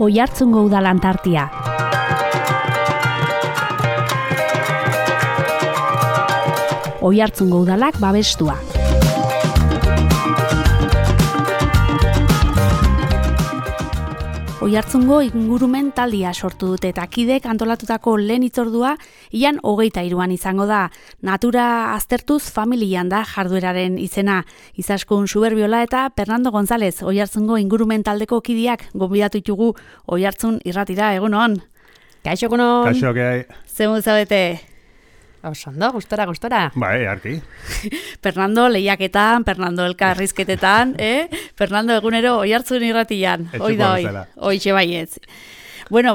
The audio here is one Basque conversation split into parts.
Oiartzungo Udalan tartia. Oiartzungo Udalak babestua. Oiartzungo ingurumen taldia sortu dute eta kidek antolatutako lehen hitzordua ian 23an izango da. Natura aztertuz familian da jardueraren izena. Izaskun Suberbiola eta Fernando González Oiartzungo ingurumen taldeko kidiak gonbidatu ditugu Oiartzun irratira, egunon. Kaixo, egunon. Kaixo, gai. Zemu zabete? Osondo, gustora. Bai, arki. Fernando lehiaketan, Fernando elkarrizketetan, Fernando egunero Oiartzun irratian. Hoi da, hoixe baietz. Bueno,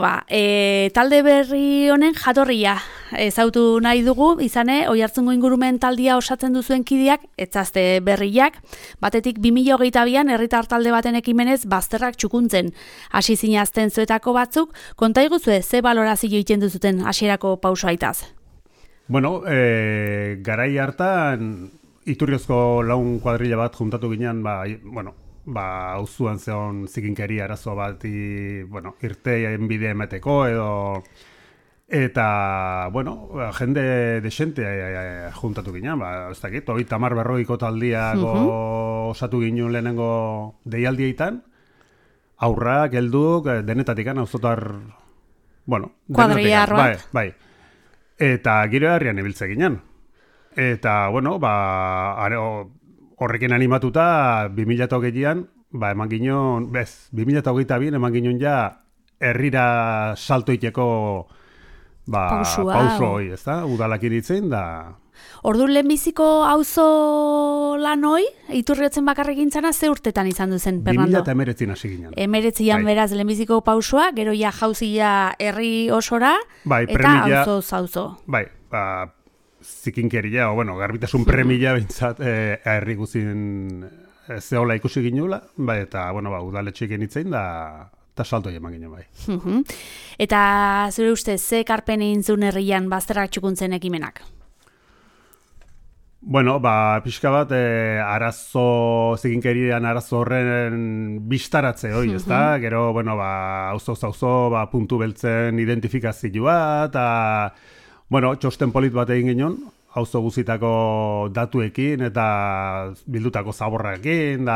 talde berri honen jatorria ezautu nahi dugu, izane, Oiartzungo ingurumen taldia osatzen duzuen kidiak, etzazte berriak, batetik 2022an herritar talde baten ekimenez bazterrak txukuntzen. Hasi zinazten zuetako batzuk, konta iguzue, ze balorazio egiten duzuten hasierako pausoaitaz? Bueno, garai hartan, Iturriozko laun kuadrilla bat juntatu ginen, auzuan zeon zikinkeri arazo bat, irteien bide emeteko edo... Eta, jende desente juntatu ginen, ez dakit, 30-40 taldiako osatu ginen lehenengo deialdietan, aurrak, helduk, denetatikan, auzotar, kuadrillarroak. Bai. Eta giro herrian ibiltze ginen. Eta, horrekin animatuta 2008an, eman ginen, 2022an eman ginen ja herrira saltoiteko pauso hoi, ez da? Udalak iritzen, da... Ordu lehenbiziko auzo lan hoi, Iturriotzen bakarrik gintzana, ze urtetan izan duzen, Fernando? 2019 hasi ginen. 19an beraz lehenbiziko pausua, gero ja jauzia herri osora, eta auzo. Bai, zikinkeria, garbitasun premia bintzat herri guzien zehola ikusi ginula, eta, udaletxe genitzen da... eta salto eman ginen bai. Eta zure ustez, ze karpen egin zuen herrian bazterrak txukuntzen ekimenak? Pixka bat, zikinkerian arazo horren bistaratze hori, ezta? Gero, auzo, puntu beltzen identifikazioa, eta, txosten polit bat egin ginen, auzo guzitako datuekin, eta bildutako zaborrakin,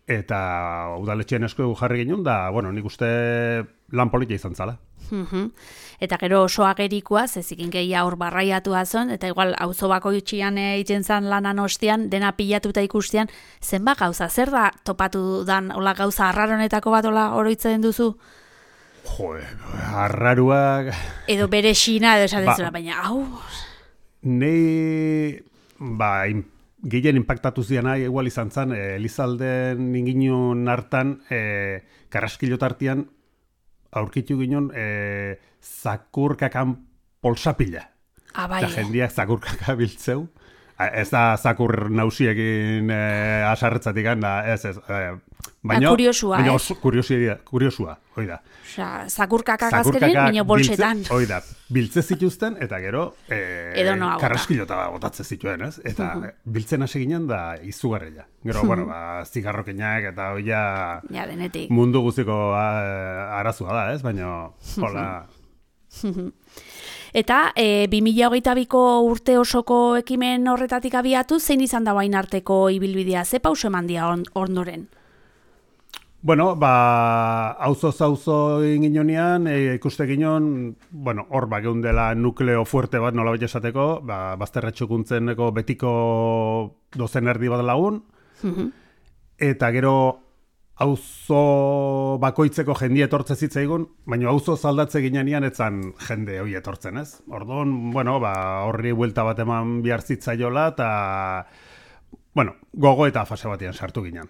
eta udaletxeen esku jarri ginen, nik uste lan politia izan zala. Eta gero oso agerikoa, zikinkeria hor barraiatu azon, eta igual auzo bakoitzean egiten zan lanan ostean, dena pilatuta ikustean, zenbat gauza, zer da topatu dan hola gauza arraronetako bat hola oroitzen duzu? Arraruak... Edo bere xina, edo esaten zura, baina hau... Nei, gehien impactatu zian nahi, igual izan zen, Elizalden inginun hartan, Karraskilotartian, aurkitu ginen zakurkakan polsapila. Bai. Eta jendiak zakurkaka biltzeu. Ez da zakur nausiekin asarretzatik, ez. Baina kuriosua, hoi da. Zakurkakak azkerin, baina bolsetan. Hoi da, biltze zituzten, eta gero karraskilota botatze zituen, ez? Eta biltzen hasi ginen da izugarria. Gero, zigarrokenak eta hoia denetik. Mundu guztiko arazua da, ez? Baina, hola... Eta 2022ko urte osoko ekimen horretatik abiatu, zein izan da bain arteko ibilbidea, ze pauso eman dia ondoren? Auzo inginonean, ikuste ginen, hor geundela nukleo fuerte bat nola bete esateko, bazterretxukuntzeneko betiko dozen erdi bat lagun, eta gero auzo bakoitzeko jendia etortze zitzaigun, baina auzo zaldatze ginean etzan jende hori etortzen, ez? Orduan, horri buelta bat eman behar zitzaiola, eta, gogo eta fase batean sartu ginen.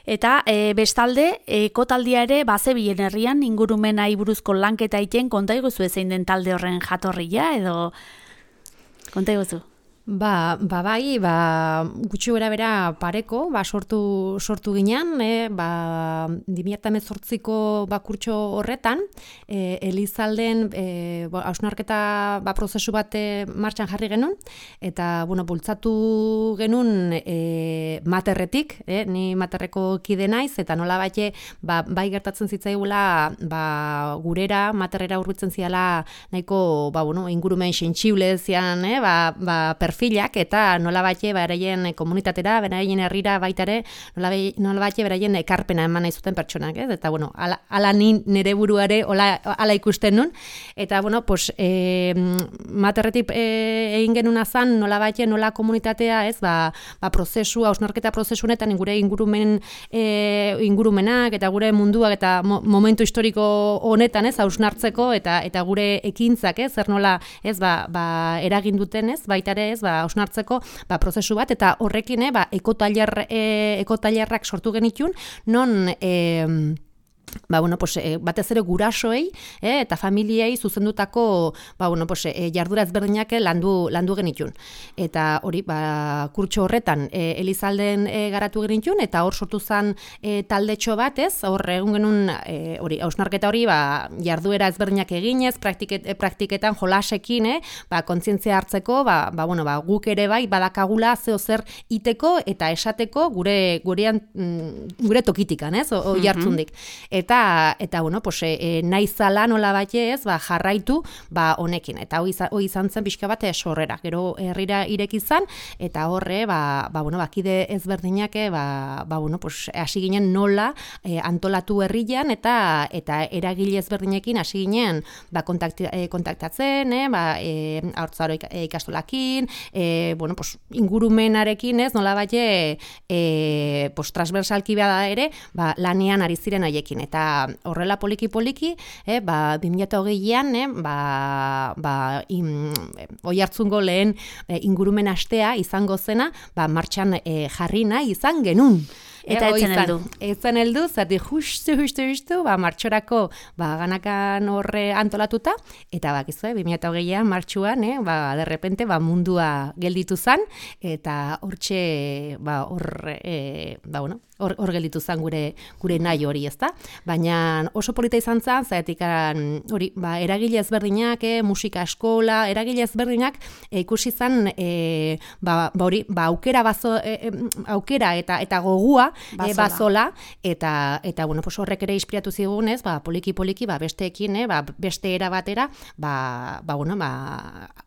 Eta bestalde, ekotaldia ere bazebien herrian ingurumena buruzko lanketa iten konta iguzu zein den talde horren jatorria, edo konta iguzu? Bai, gutxi bera pareko, sortu ginean, 2018ko kurtso horretan, Elizalden hausnarketa prozesu bat martxan jarri genuen, eta, bultzatu genuen materretik, ni materreko kide naiz, eta nola bate, bai gertatzen zitzaigula, gurera, materrera hurbiltzen ziala, nahiko, ingurumen sentsible zian, perfilak, eta nola bate, beraien komunitatera, beraien herrira baitare, nola bate, beraien ekarpena eman nahi zuten pertsonak, eta, ala nire buruare, ala ikusten nun, eta, materretik egin genuna zan, nola bate, nola komunitatea, prozesu, hausnarketa prozesu honetan, gure ingurumenak, eta gure munduak, eta momentu historiko honetan, hausnartzeko, eta gure ekintzak, zer nola, eragin duten, baitare, hausnartzeko prozesu bat, eta horrekin ekotailerrak sortu genitun, non batez ere gurasoei eta familiei zuzendutako jardura ezberdinak landu genitun. Eta hori, kurtso horretan Elizalden garatu genitun, eta hor sortu zen taldetxo bat, hor egun genuen hausnarketa hori jarduera ezberdinak eginez, praktiketan jolasekin, kontzientzia hartzeko, guk ere bai badakagula zeo zer iteko eta esateko gure tokitikan, oi hartzundik. Eta nahi zala nola bate jarraitu honekin. Eta hoi izan zen pixka bat sorrera. Gero herrira ireki zan, eta horre, kide ezberdinak, hasi ginen nola antolatu herrian, eta eragile ezberdinekin hasi ginen kontaktatzen, haurtzaro ikastolakin, ingurumenarekin, nola bate, transversalki bada ere, lanean ari ziren haiekin. Eta horrela poliki-poliki, 2020an, oihartzungo lehen ingurumen astea izango zena, martxan jarri nahi izan genuen. Eta etzen heldu, zati justu, martxorako ganakan horre antolatuta, eta bakizue, 2020an martxuan, derrepente, mundua gelditu zan, eta hortxe, hor gelditu zan gure nahi hori, ezta? Baina oso polita izan zan, zaetik hori, eragile ezberdinak, musika eskola, eragile ezberdinak ikusi zan, aukera eta gogua bazola, eta horrek ere inspiratu zigunez, poliki-poliki, besteekin, beste era batera,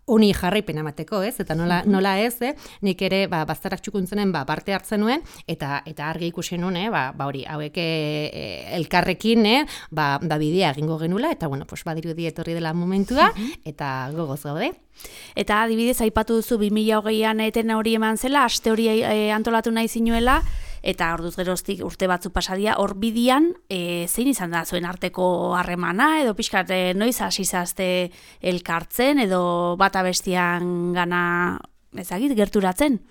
honi jarraipen amateko, eta nola ez, nik ere bazterrak txukuntzenen parte hartzen nuen, eta argi ikusi nuen, hori, hauek elkarrekin, bidea egingo genula, eta badirudi etorri dela momentua, eta gogoz gaude. Eta adibidez, aipatu duzu 2020an eten hori eman zela, aste hori antolatu nahi zinuela, eta orduz geroztik urte batzu pasadia, hor bidian, zein izan da zuen arteko harremana, edo pixkat noiz hasi zazte elkartzen, edo bata bestian gana ezagit, gerturatzen?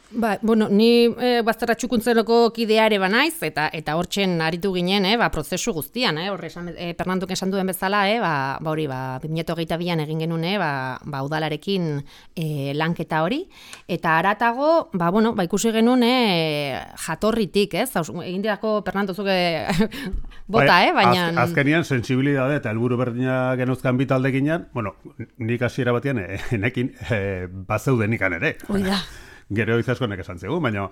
Ni bazterra txukuntzenoko kidea ere banaiz, eta hortzen aritu ginen, prozesu guztian, horre Fernandok esan duen bezala, hori, 2022an egin genuen, udalarekin lanketa hori, eta haratago, ikusi genuen jatorritik, egin dirako Fernando zuke bota, baina... Azkenian, sensibilidade eta helburu berdina genuzkan bitalde ginen, nik hasiera batean, enekin, bazeuden ikan ere. Oida. Gero izaskonek esan zegu, baina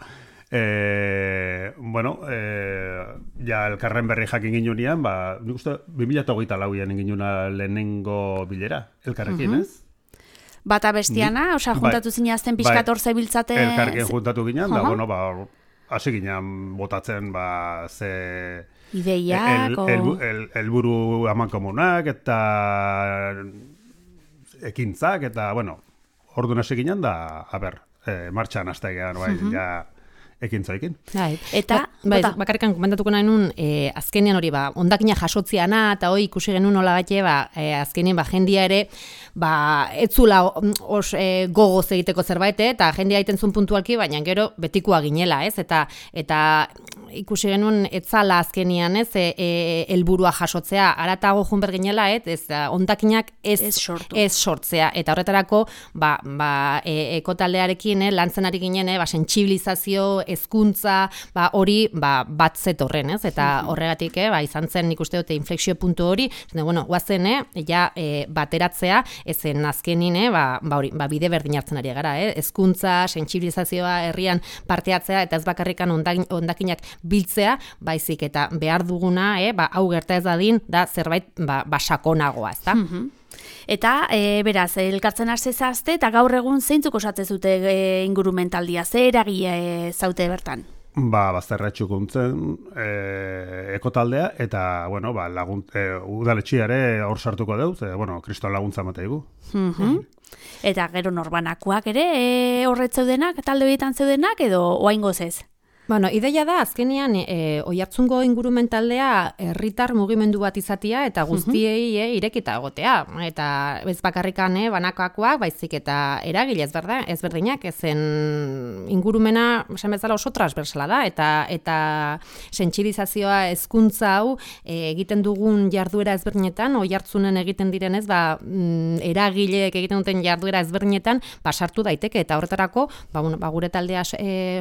ja elkarren berri jakin ginunean, nik uste 2024an ginuna lehenengo bilera, elkarrekin, ez? Bata bestiana, juntatu zinazten pixkat hor zebiltzate... Elkarrekin juntatu ginen, hasi ginen botatzen, ze... Ideiak, helburu amankomunak, eta ekintzak, eta, orduan hasi ginen da, martxan hastegean, ja ekintzaekin. Eta Bai, bakarrikan komentatuko nahi nun, azkenean hori, ondakina jasotziana, eta hori ikusi genuen nola bate, azkenean, jendia ere, etzula gogoz egiteko zerbait, eta jendia egiten zuen puntualki, baina gero betikoa ginela, ez? Eta ikusi genuen etzala azkenean, ez? Helburua jasotzea, aratago jun berginela, ez? Ondakinak ez sortzea. Eta horretarako, ekotaldearekin, lantzen ari ginen, sentsibilizazio, hezkuntza, hori, bat zetorren, ez? Eta horregatik, izan zen nik uste dute inflexio puntu hori, guazen, bateratzea, ezen azkenin, bide berdin hartzen ari gara, hezkuntza, sentsibilizazioa, herrian parteatzea, eta ez bakarrikan ondakinak biltzea, baizik eta behar duguna, hau gerta ez dadin, da zerbait sakonagoa, ez da? Eta, beraz, elkartzen hastezazte, eta gaur egun zeintzuk osatzen zute ingurumentaldia, ze eragile zaute bertan? Bazterratxukuntzen ekotaldea, eta, udaletxiare hor sartuko deuz, kriston laguntza mateigu. Eta gero norbanakoak ere horretzeudenak, talde horietan zeudenak, edo oaingoz ez? Ideia da, azkenean, Oiartzungo ingurumendaldea herritar mugimendu bat izatea eta guztiei irekita egotea. Eta ez bakarrikan banakoakoak, baizik eta eragile ezberdinak, ezen ingurumena, esan bezala oso transversala da, eta sentsibilizazioa hezkuntza hau egiten dugun jarduera ezberdinetan, Oiartzunen egiten direnez, eragileek egiten duten jarduera ezberdinetan, sartu daiteke, eta horretarako, gure taldea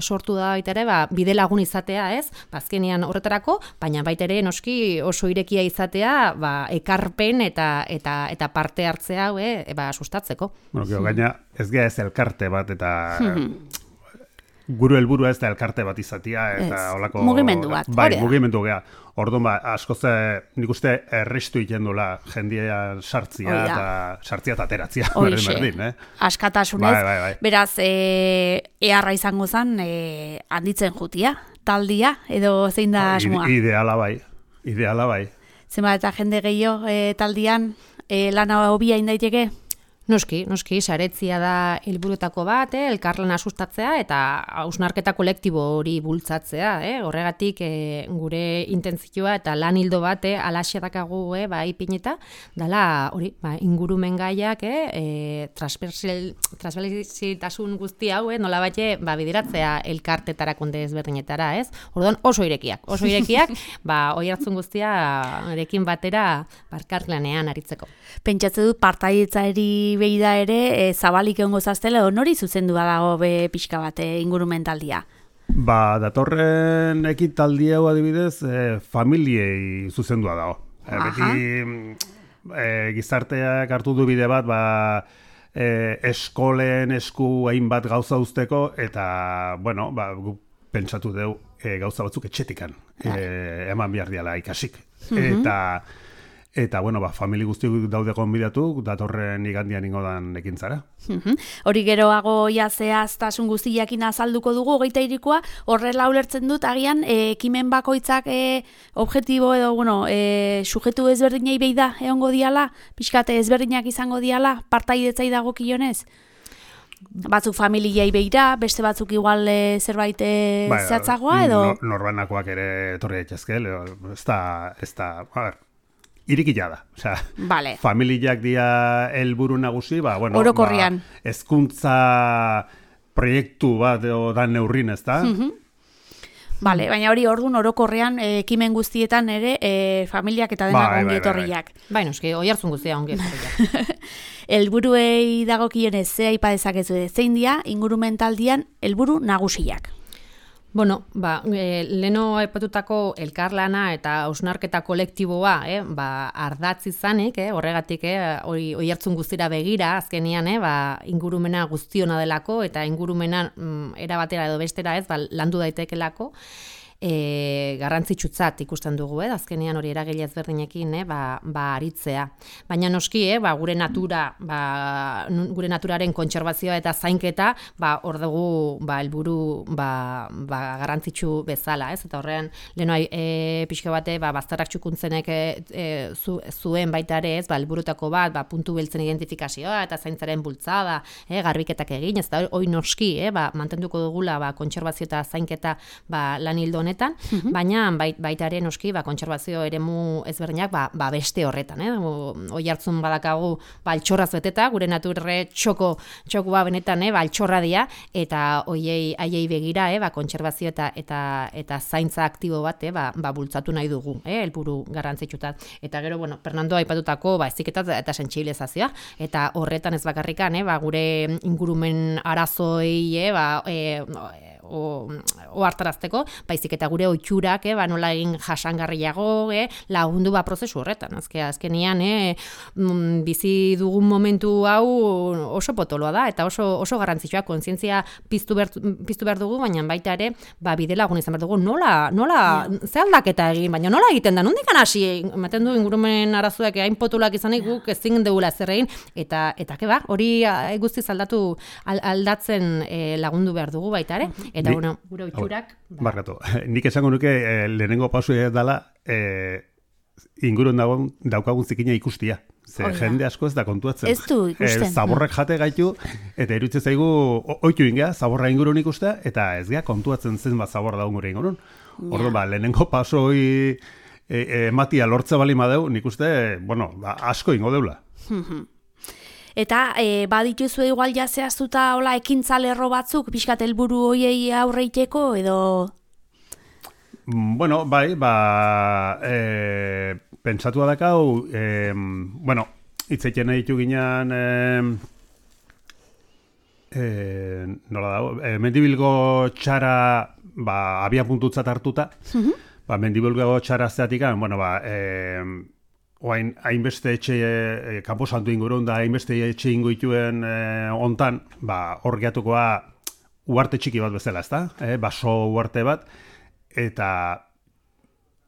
sortu da baita ere, bide lagun izatea, ez? Azkenean horretarako, baina baita ere noski oso irekia izatea, ekarpen eta parte hartzea hau, sustatzeko. Gaina ez gea ez elkarte bat eta gure helburua ez da elkarte bat izatea eta holako mugimendu bat. Mugimendu gea. Orduan askoz nik uste errestu egiten dula jendia sartzia eta ateratzia. Askatasunez. Beraz, eharra izango zen handitzen jutia, taldia, edo zein da asmoa? Ideala bai. Zenba eta jende gehiago taldian lana hobia indaiteke? Noski, saretzia da helburuetako bat, elkarlana sustatzea eta hausnarketa kolektibo hori bultzatzea, horregatik gure intentzioa eta lan hildo bat alaxe dakagu ipineta, dala hori, ingurumen gaiak, transversalitasun guzti hau, nola bate, bideratzea elkartetara konde ezberdinetara, ez? Orduan oso irekiak, Oiartzun guztia erekin batera elkarlanean aritzeko. Pentsatze dut partaidetzari beida ere, zabalik egongo zaztela, nori zuzendua dago pixka bat ingurumentaldia? Datorren ekitaldi hau adibidez, familiei zuzendua dago. Beti gizarteak hartu du bide bat, eskolen esku hainbat gauza uzteko, eta, pentsatu dugu gauza batzuk etxetikan, eman behar diala ikasik. Eta, famili guztiak daude konbidatu, datorren igandian ingodan ekintzara. Hori geroago zehaztasun guztiakin azalduko dugu, 23koa, horrela ulertzen dut, agian, ekimen bakoitzak objektibo edo, sujetu ezberdinei beida egongo diala, pixkate ezberdinak izango diala, partaidetzai dago kionez? Batzuk familiei beira, beste batzuk igual zerbait zehatzagoa, edo? Norbanakoak ere etorri daitezke, ez da, irikila da. Familiak dia helburu nagusi, orokorrian. Hezkuntza proiektu bat dan neurrin, ez da? Baina hori orduan orokorrean ekimen guztietan ere familiak eta denak ongi etorriak. Noski, Oiartzun guztia ongi etorriak. Helburuei dagokionez ze aipa dezakezu zein dira ingurumentaldian helburu nagusiak. Leno aipatutako elkarlana eta hausnarketa kolektiboa, ardatz izanik, horregatik, Oiartzun guztira begira, azkenian, ingurumena guztiona delako, eta ingurumena era batera edo bestera landu daitekelako, garrantzitsutzat ikusten dugu, azkenean hori eragile ezberdinekin aritzea. Baina noski, gure naturaren kontserbazioa eta zainketa hor dugu helburu garrantzitsu bezala, ez? Eta horrean leno pixka bate bazterrak txukuntzenek zuen baita ere, helburutako bat puntu beltzen identifikazioa eta zaintzaren bultzada, garbiketak egin, ez da hori noski, mantenduko dugula kontserbazio eta zainketa lan hildo honetan, baina baitaren noski kontserbazio eremu ezberdinak beste horretan, Oiartzun badakagu altxorraz beteta, gure naturre txokua benetan altxorra dira, eta haiei begira kontserbazio eta zaintza aktibo bat bultzatu nahi dugu, helburu garrantzitsutat. Eta gero, Fernando aipatutako heziketa eta sentsibilizazioa, eta horretan ez bakarrikan, gure ingurumen arazoi ohartarazteko, baizik eta gure ohiturak nola egin jasangarriago lagundu prozesu horretan. Azkenean bizi dugun momentu hau oso potoloa da eta oso garrantzitsua, kontzientzia piztu behar dugu, baina baita ere bide lagun izan behar dugu, nola ze aldaketa egin, baina nola egiten da, nondik hasi ematen du ingurumen arazoak hain potoloak izanik guk ezin dugula zer egin, eta hori guztiz aldatzen lagundu behar dugu baita ere. Eta gure ohiturak barkatu. Nik esango nuke lehenengo pausua dela ingurun daukagun zikina ikustia. Jende asko ez da kontuatzen. Ez du ikusten. Zaborrak jate gaitu, eta iruditzen zaigu ohitu ingea, zaborra ingurun ikustea, eta ez gea kontuatzen zen zaborra daun gure ingurun. Orduan, lehenengo pasoi ematia lortza bali madeu, nik uste, asko ingo deula. Eta badituzu igual zehaztuta hola ekintza lerro batzuk, pixkat helburu hoiei aurreiteko edo? Bai, pentsatua dakau, hitzeiten ditu ginean, nola dago, mendibilgo txara abia puntutzat hartuta, mendibilgo txara zeatikan, oain hainbeste etxe, kanpo santu ingurun da hainbeste etxe ingoituen ontan, hor geatukoa uarte txiki bat bezala, ezta? Baso uarte bat, eta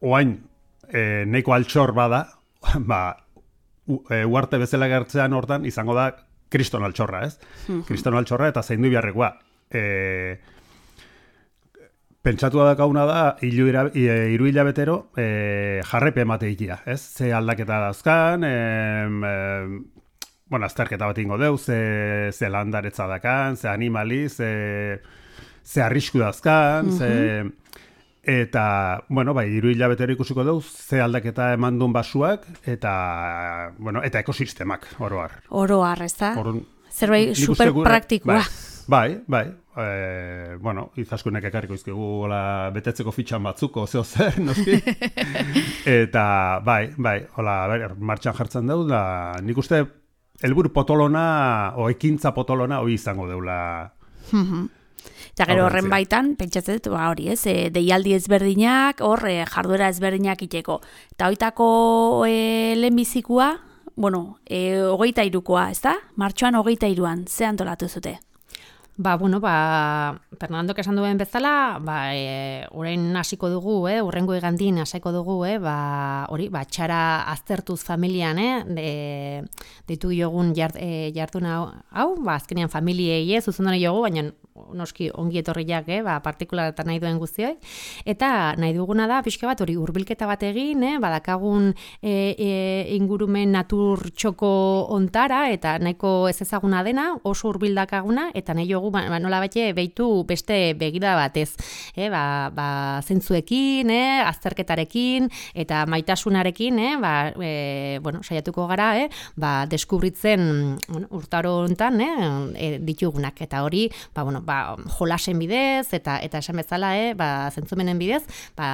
oain neiko altxor bada, uarte bezala gertzean hortan izango da kriston altxorra, ez? Kriston altxorra eta zaindu biharrekoa. Pentsatua dakauna da, hiru hilabetero jarrepe emate ikia, ez? Ze aldaketa dauzkan, azterketa bat ingo deu, ze landaretza dakan, ze animali, ze arrisku dauzkan, eta, hiru hilabetero ikusiko deu, ze aldaketa eman duen basuak, eta ekosistemak, oroar. Oroar, ez da? Zerbait super praktikoa. Bai. Izaskunek ekarriko izkigu betetzeko fitxan batzuko, zeo zer, noski. Eta, martxan jartzen deu, da nik uste helburu potolona, ekintza potolona, hori izango deula. Eta gero horren baitan, pentsatzen dut, hori ez, deialdi ezberdinak, jarduera ezberdinak iteko. Eta hoitako lehenbizikoa, 23koa, ez da? Martxoan 23an, ze antolatu zute? Fernandok esan duen bezala, orain hasiko dugu, urrengo igandin hasiko dugu, txara aztertuz familian, deitu jogun jardun hau, azkenean familiei zuzendone jogu, baina noski ongi etorriak, partikularatan nahi duen guztioi, eta nahi duguna da, pixka bat, hori hurbilketa bat egin, badakagun ingurumen natur txoko ontara, eta nahiko ez ezaguna dena, oso hurbildakaguna, eta nahi jogu, nola batxe, behitu beste begira batez, zentzuekin, azterketarekin, eta maitasunarekin, saiatuko gara, deskubritzen urtaro hontan, ditugunak, eta hori, jolasen bidez, eta esan bezala, zentzumenen bidez,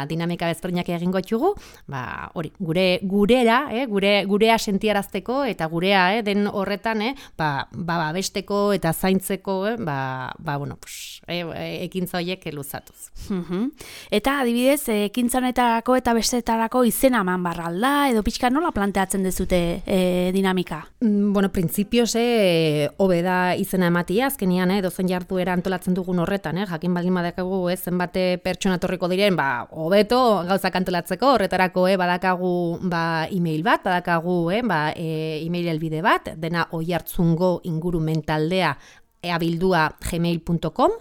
dinamika bezberdinak egingo txugu, hori, gurera, gurea sentiarazteko, eta gurea, den horretan, besteko eta zaintzeko, ekintza horiek luzatuz. Eta adibidez, ekintza honetarako eta bestetarako izena eman barralda, edo pixka nola planteatzen dezute dinamika? Printzipioz, hobe da izena ematia, azkenian, dozen jarduera antolatzen dugun horretan, jakin baldin badakagu, zenbate pertsona torriko diren, hobeto gauzak antolatzeko, horretarako badakagu e-mail bat, badakagu e-mail helbide bat, dena oihartzungo ingurumentaldea abildua gmail.com,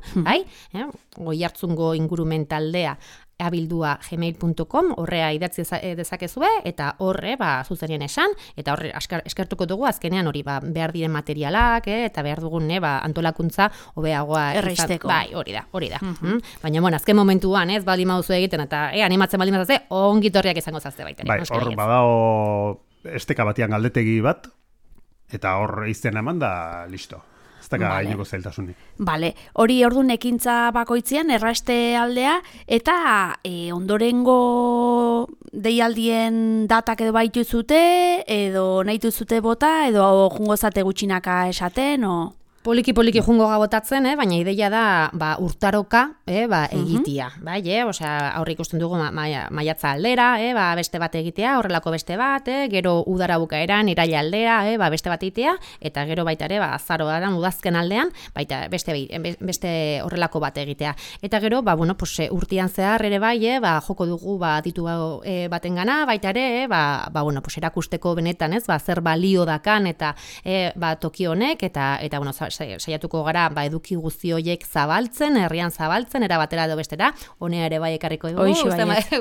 oihartzungo ingurumentaldea abildua@gmail.com, horrea idatzi dezakezue, eta horre, zuzenien esan, eta horre eskertuko dugu azkenean hori, behar diren materialak, eta behar dugun, antolakuntza hobeagoa erreisteko. Bai, hori da. Baina, azken momentuan, ez baldin mauzu egiten, eta animatzen baldin mazazte, ongitorriak izango zazte baita. Bai, hor badao esteka batian galdetegi bat, eta hor izten eman da, listo. Ez daga inoko zailtasunik. Bale, hori orduan ekintza bakoitzean erraste aldea, eta ondorengo deialdien datak edo baitu zute, edo nahitu zute bota, edo jungo zate gutxinaka esaten, o... Poliki jungo gabotatzen, baina ideia da urtaroka egitea. Bai, aurre ikusten dugu maiatza aldera, beste bat egitea, horrelako beste bat, gero udara bukaeran, iraila aldera, beste bat egitea, eta gero baita ere, azaroan, udazken aldean, baita beste horrelako bat egitea. Eta gero, urtean zehar ere bai, joko dugu ditu baten gana, baita ere, erakusteko benetan, zer balio dakan, eta toki honek, eta saiatuko gara eduki guzti horiek zabaltzen, herrian zabaltzen, era batera edo bestera, honea ere bai ekarriko dugu,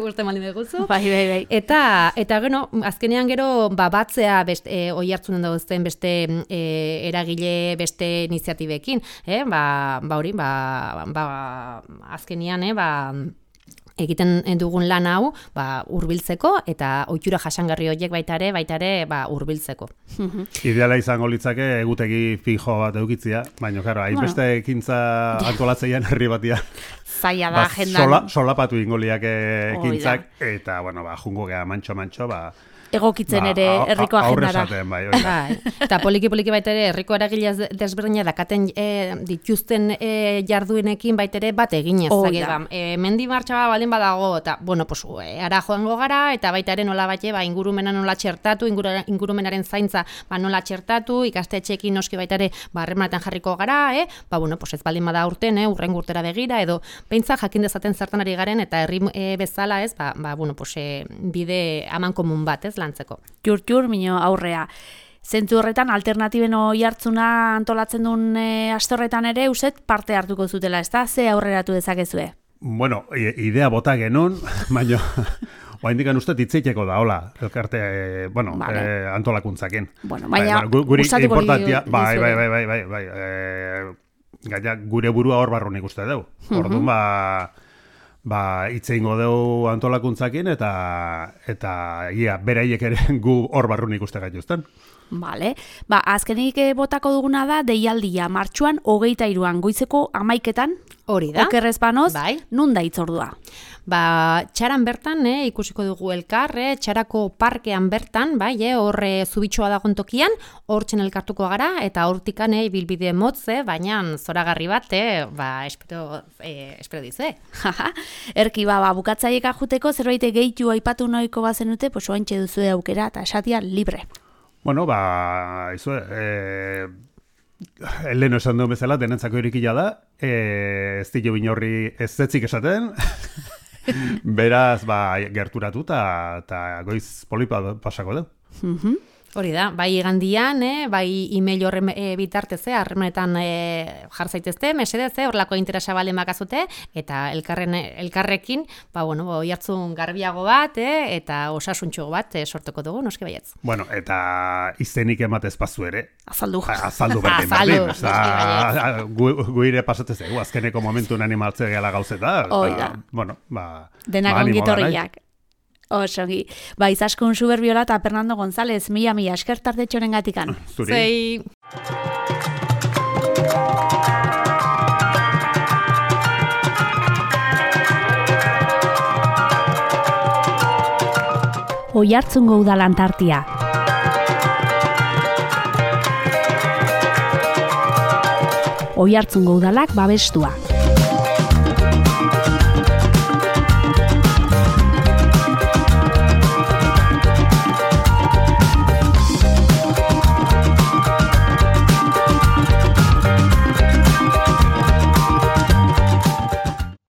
uste maldin beguzu. Bai. Eta azkenean gero batzea oihartzunen dauzten beste eragile, beste iniziatibekin, azkenean egiten dugun lan hau hurbiltzeko eta ohitura jasangarri horiek baita ere hurbiltzeko. Ideala izango litzake egutegi fijo bat edukitzea, baina claro, hainbeste ekintza antolatzeian herri batia. Zaila da agendan. Solapatu ingo liake ekintzak eta jungo gea mantxo egokitzen ere herriko agendara. Bai. Eta poliki baita ere herriko eragile desberdina dakaten dituzten jarduenekin baita ere bat eginez. Mendi martxa baldin badago, eta ara joango gara, eta baita ere nola bate, ingurumena nola txertatu, ingurumenaren zaintza nola txertatu, ikastetxeekin noski baita ere harremanetan jarriko gara, ez baldin bada urten, urrengo urtera begira, edo beintza jakin dezaten zertan ari garen, eta herri bezala bide amankomun bat, lantzeko. Jur, mino aurrea. Zentzu horretan, alternatiben oihartzuna antolatzen duen aste horretan ere, uset parte hartuko zutela, ez da? Ze aurreratu dezakezue? Bueno, idea bota genuen, baina oraindik uste hitzeiteko da, hola, elkarte, antolakuntzakin. Baina, gustatuko importantia, bai. Gaina, gure burua hor barrunik uste dugu. Orduan, hitze ingo dugu antolakuntzakin eta beraiek ere gu hor barrunik uste gaituzten. Bale, azkenik botako duguna da deialdia martxuan 23an goizeko 11etan. Hori da. Okerrez banoz, nun da hitzordua? Txaran bertan, ikusiko dugu elkar, txarako parkean bertan, horre zubitxoa dagoen tokian, hortzen elkartuko gara, eta hortikan bilbide motze, baina zoragarri bat, espero dize. Erki, bukatzaiek ajuteko, zerbait gehitu aipatu noiko bazenute, oaintxe duzu aukera, eta esatia libre. Bueno, Leno esan duen bezala, denentzako irikila da, ez dilo binorri ez zetzik esaten, beraz, gerturatu eta goiz polipa pasako du. Hori da, bai igandian, bai email horren bitartez, harremanetan jar zaitezte, mesedez, horrelako interesa balen bakazute, eta elkarrekin, oihartzun garbiago bat, eta osasuntxo bat sortuko dugu, noski baietz. Bueno, eta izenik ematez pazu ere. Azaldu berdin. Guire pasatez egu, azkeneko momentun animaltze gela gauzeta. Denak ongitorriak. Osongi. Izaskun Suberbiola eta Fernando González, mila esker tardetxoren gatikan. Zuri. Oihartzungo udalan tartia. Oihartzungo udalak babestua.